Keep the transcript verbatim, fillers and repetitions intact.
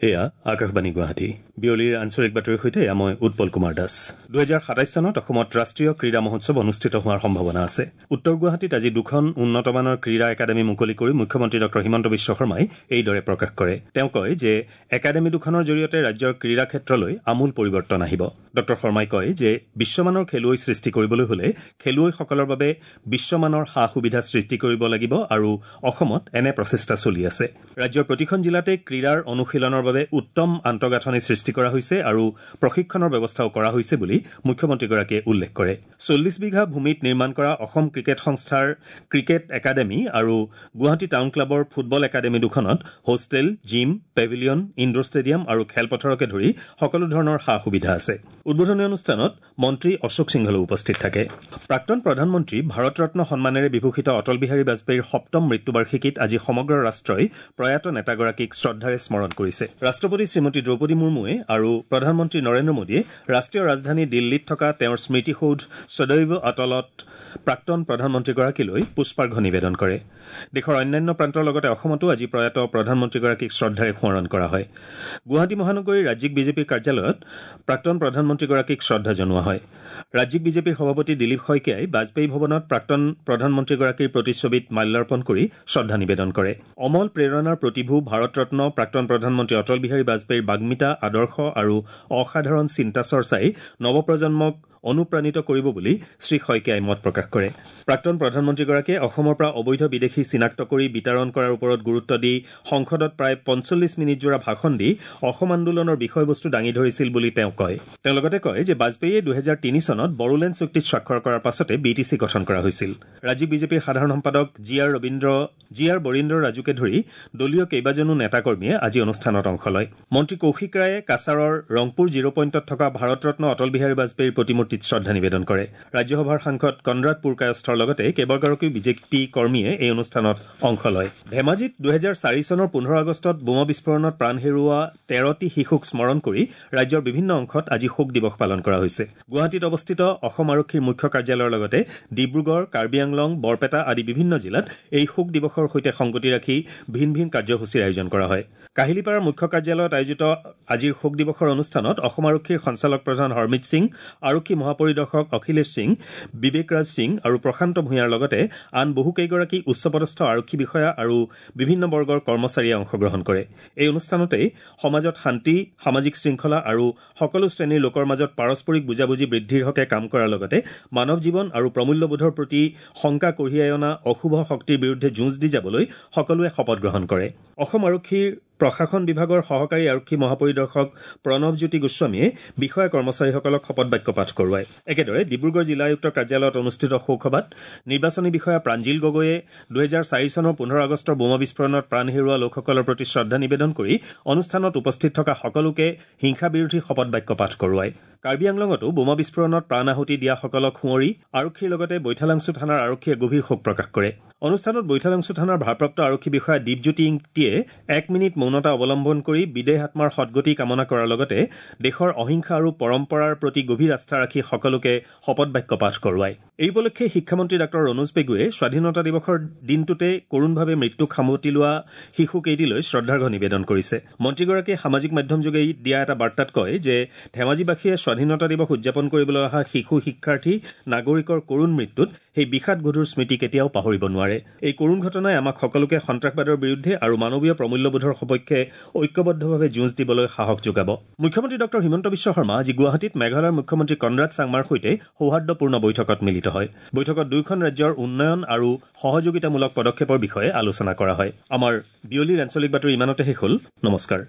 এয়া আকাশবাণী গুৱাহাটী। বিয়লিৰ আঞ্চলিক বাতৰিৰ সৈতে এয়া মই উৎপল কুমাৰ দাস। দুহেজাৰ সাতাইছ চনত অসমত ৰাষ্ট্ৰীয় ক্ৰীড়া মহোৎসৱ অনুষ্ঠিত হোৱাৰ সম্ভাৱনা আছে। উত্তৰ গুৱাহাটীত আজি দুখন উন্নতমানৰ ক্ৰীড়া একাডেমী মুকলি কৰি মুখ্যমন্ত্ৰী ডঃ হিমন্ত বিশ্ব শৰ্মাই এইদৰে প্ৰকাশ কৰে। তেওঁ কয় যে একাডেমী দুখনৰ জৰিয়তে ৰাজ্যৰ ক্ৰীড়া ক্ষেত্ৰলৈ আমূল পৰিৱৰ্তন আহিব। ডঃ শৰ্মাই কয় যে বিশ্বমানৰ খেলুৱৈ সৃষ্টি কৰিবলৈ হলে খেলুৱৈসকলৰ বাবে বিশ্বমানৰ সা সুবিধা সৃষ্টি কৰিব লাগিব আৰু অসমত এনে প্ৰচেষ্টা চলি আছে। ৰাজ্যৰ প্ৰতিখন জিলাতে ক্ৰীড়াৰ অনুশীলনৰ বাবে উত্তম আন্তঃগাঁথনি সৃষ্টি কৰা হৈছে আৰু প্ৰশিক্ষণৰ ব্যৱস্থাও কৰা হৈছে বুলি মুখ্যমন্ত্ৰীগৰাকীয়ে উল্লেখ কৰে। চল্লিছ বিঘা ভূমিত নিৰ্মাণ কৰা অসম ক্ৰিকেট সংস্থাৰ ক্ৰিকেট একাডেমী আৰু গুৱাহাটী টাউন ক্লাবৰ ফুটবল একাডেমী দুখনত hostel, gym, pavilion, indoor stadium আৰু খেলপথাৰকে ধৰি সকলো ধৰণৰ সা সুবিধা আছে। উদ্বোধনী অনুষ্ঠানত মন্ত্ৰী অশোক সিংহলো উপস্থিত থাকে। প্ৰাক্তন প্ৰধানমন্ত্ৰী ভাৰতৰত্ন সন্মানেৰে বিভূষিত অটল বিহাৰী বাজপেয়ীৰ সপ্তম মৃত্যুবাৰ্ষিকীত আজি সমগ্ৰ ৰাষ্ট্ৰই প্ৰয়াত নেতাগৰাকীক শ্ৰদ্ধাৰে স্মৰণ কৰিছে। ৰাষ্ট্ৰপতি শ্ৰীমতী দ্ৰৌপদী মুৰ্মুৱে আৰু প্ৰধানমন্ত্ৰী নৰেন্দ্ৰ মোদীয়ে ৰাষ্ট্ৰীয় ৰাজধানী দিল্লীত থকা তেওঁৰ স্মৃতিসৌধ সদৈৱ অটলত প্ৰাক্তন প্ৰধানমন্ত্ৰীগৰাকীলৈ পুষ্পাৰ্ঘ নিবেদন কৰে। দেশৰ অন্যান্য প্ৰান্তৰ লগতে অসমতো আজি প্ৰয়াত প্ৰধানমন্ত্ৰীগৰাকীক শ্ৰদ্ধাৰে সোঁৱৰণ কৰা হয়। গুৱাহাটী মহানগৰীৰ ৰাজ্যিক বিজেপিৰ কাৰ্যালয়ত প্ৰাক্তন প্ৰধানমন্ত্ৰীগৰাকীক শ্ৰদ্ধা জনোৱা হয়। ৰাজ্যিক বিজেপিৰ সভাপতি দিলীপ শইকীয়াই বাজপেয়ী ভৱনত প্ৰাক্তন প্ৰধানমন্ত্ৰীগৰাকীৰ প্ৰতিচ্ছবিত মাল্যাৰ্পণ কৰি শ্ৰদ্ধা নিবেদন কৰে। অমল প্ৰেৰণাৰ প্ৰতিভূ ভাৰতৰত্ন প্ৰাক্তন প্ৰধানমন্ত্ৰী অটল বিহাৰী বাজপেয়ীৰ বাগ্মিতা, আদৰ্শ আৰু অসাধাৰণ চিন্তা চৰ্চাই নৱপ্ৰজন্মক অনুপ্ৰাণিত কৰিব বুলি শ্ৰী শইকীয়াই মত প্ৰকাশ কৰে। প্ৰাক্তন প্ৰধানমন্ত্ৰীগৰাকীয়ে অসমৰ পৰা অবৈধ বিদেশী চিনাক্ত কৰি বিতৰণ কৰাৰ ওপৰত গুৰুত্ব দি সংসদত প্ৰায় পঞ্চল্লিছ মিনিটজোৰা ভাষণ দি অসম আন্দোলনৰ বিষয়বস্তু দাঙি ধৰিছিল বুলি তেওঁ কয়। তেওঁ লগতে কয় যে বাজপেয়ীয়ে দুহেজাৰ তিনি চনত বড়োলেণ্ড চুক্তিত স্বাক্ষৰ কৰাৰ পাছতে বি টি চি গঠন কৰা হৈছিল। ৰাজ্যিক বিজেপিৰ সাধাৰণ সম্পাদক G R Rabindra G R Barindra ৰাজুকে ধৰি দলীয় কেইবাজনো নেতাকৰ্মীয়ে আজি অনুষ্ঠানত অংশ লয়। মন্ত্ৰী কৌশিক ৰায়ে কাছাৰৰ ৰংপুৰ জিৰ' পইণ্টত থকা ভাৰতৰত্ন অটল বিহাৰী বাজপেয়ীৰ প্ৰতিমূৰ্তি শ্ৰদ্ধা নিবেদন কৰে। ৰাজ্যসভাৰ সাংসদ কনৰাড পুৰকায়স্থৰ লগতে কেইবাগৰাকীও বিজেপি কৰ্মীয়ে এই অনুষ্ঠানত অংশ লয়। ধেমাজিত দুহেজাৰ চাৰি চনৰ পোন্ধৰ আগষ্টত বোমা বিস্ফোৰণত প্ৰাণ হেৰুওৱা তেৰটি শিশুক স্মৰণ কৰি ৰাজ্যৰ বিভিন্ন অংশত আজি শোক দিৱস পালন কৰা হৈছে। গুৱাহাটীত অৱস্থিত অসম আৰক্ষীৰ মুখ্য কাৰ্যালয়ৰ লগতে ডিব্ৰুগড়, কাৰ্বি আংলং, বৰপেটা আদি বিভিন্ন জিলাত এই শোক দিৱসৰ সৈতে সংগতি ৰাখি ভিন ভিন কাৰ্যসূচীৰ আয়োজন কৰা হয়। কাহিলীপাৰাৰ মুখ্য কাৰ্যালয়ত আয়োজিত আজিৰ শোক দিৱসৰ অনুষ্ঠানত অসম আৰক্ষীৰ সঞ্চালক প্ৰধান হৰমিত সিং, আৰক্ষী মহাপৰিদৰ্শক অখিলেশ সিং, বিবেকৰাজ সিং আৰু প্ৰশান্ত ভূঞাৰ লগতে আন বহুকেইগৰাকী উচ্চপদস্থ আৰক্ষী বিষয়া আৰু বিভিন্ন বৰ্গৰ কৰ্মচাৰীয়ে অংশগ্ৰহণ কৰে। এই অনুষ্ঠানতেই সমাজত শান্তি, সামাজিক শৃংখলা আৰু সকলো শ্ৰেণীৰ লোকৰ মাজত পাৰস্পৰিক বুজাবুজি বৃদ্ধিৰ হকে কাম কৰাৰ লগতে মানৱ জীৱন আৰু প্ৰমূল্যবোধৰ প্ৰতি শংকা কঢ়িয়াই অনা অশুভ শক্তিৰ বিৰুদ্ধে যুঁজ দি যাবলৈ সকলোৱে শপত গ্ৰহণ কৰে। অসম আৰক্ষীৰ প্ৰশাসন বিভাগৰ সহকাৰী আৰক্ষী মহাপৰিদৰ্শক প্ৰণৱজ্যোতি গোস্বামীয়ে বিষয়া কৰ্মচাৰীসকলক শপত বাক্য পাঠ কৰোৱায়। একেদৰে ডিব্ৰুগড় জিলা আয়ুক্তৰ কাৰ্যালয়ত অনুষ্ঠিত শোকসভাত নিৰ্বাচনী বিষয়া প্ৰাঞ্জিল গগৈয়ে দুহেজাৰ চাৰি চনৰ পোন্ধৰ আগষ্টৰ বোমা বিস্ফোৰণত প্ৰাণ হেৰুওৱা লোকসকলৰ প্ৰতি শ্ৰদ্ধা নিবেদন কৰি অনুষ্ঠানত উপস্থিত থকা সকলোকে হিংসা বিৰোধী শপত বাক্য পাঠ কৰোৱায়। কাৰ্বি আংলঙতো বোমা বিস্ফোৰণত প্ৰাণ আহুতি দিয়াসকলক সুঁৱৰি আৰক্ষীৰ লগতে বৈঠালাংছু থানাৰ আৰক্ষীয়ে গভীৰ শোক প্ৰকাশ কৰে। অনুষ্ঠানত বৈঠালাংছু থানাৰ ভাৰপ্ৰাপ্ত আৰক্ষী বিষয়া দীপজ্যোতি ইংতিয়ে এক মিনিট মৌনতা অৱলম্বন কৰি বিদেহ আত্মাৰ সদগতি কামনা কৰাৰ লগতে দেশৰ অহিংসা আৰু পৰম্পৰাৰ প্ৰতি গভীৰ আস্থা ৰাখি সকলোকে শপত বাক্য পাঠ কৰোৱায়। এই উপলক্ষে শিক্ষামন্ত্ৰী ডাঃ ৰণোজ পেগুৱে স্বাধীনতা দিৱসৰ দিনটোতে কৰুণভাৱে মৃত্যুক সামটি লোৱা শিশুকেইটিলৈ শ্ৰদ্ধাৰ্ঘ নিবেদন কৰিছে। মন্ত্ৰীগৰাকীয়ে সামাজিক মাধ্যমযোগে দিয়া এটা বাৰ্তাত কয় যে ধেমাজিবাসীয়ে স্বাধীনতা দিৱস উদযাপন কৰিবলৈ অহা শিশু শিক্ষাৰ্থী নাগৰিকৰ কৰুণ মৃত্যুত সেই বিষাদ গধুৰ স্মৃতি কেতিয়াও পাহৰিব নোৱাৰে। এই কৰুণ ঘটনাই আমাক সকলোকে সন্ত্ৰাসবাদৰ বিৰুদ্ধে আৰু মানৱীয় প্ৰমূল্যবোধৰ সপক্ষে ঐক্যবদ্ধভাৱে যুঁজ দিবলৈ সাহস যোগাব। মুখ্যমন্ত্ৰী ডঃ হিমন্ত বিশ্ব শৰ্মা আজি গুৱাহাটীত মেঘালয়ৰ মুখ্যমন্ত্ৰী কনৰাড চাংমাৰ সৈতে সৌহাৰ্দ্যপূৰ্ণ বৈঠকত মিলিত হয়। বৈঠকত দুয়োখন ৰাজ্যৰ উন্নয়ন আৰু সহযোগিতামূলক পদক্ষেপৰ বিষয়ে আলোচনা কৰা হয়। আমাৰ বিয়লিৰ আঞ্চলিক বাতৰি ইমানতে শেষ হ'ল। নমস্কাৰ।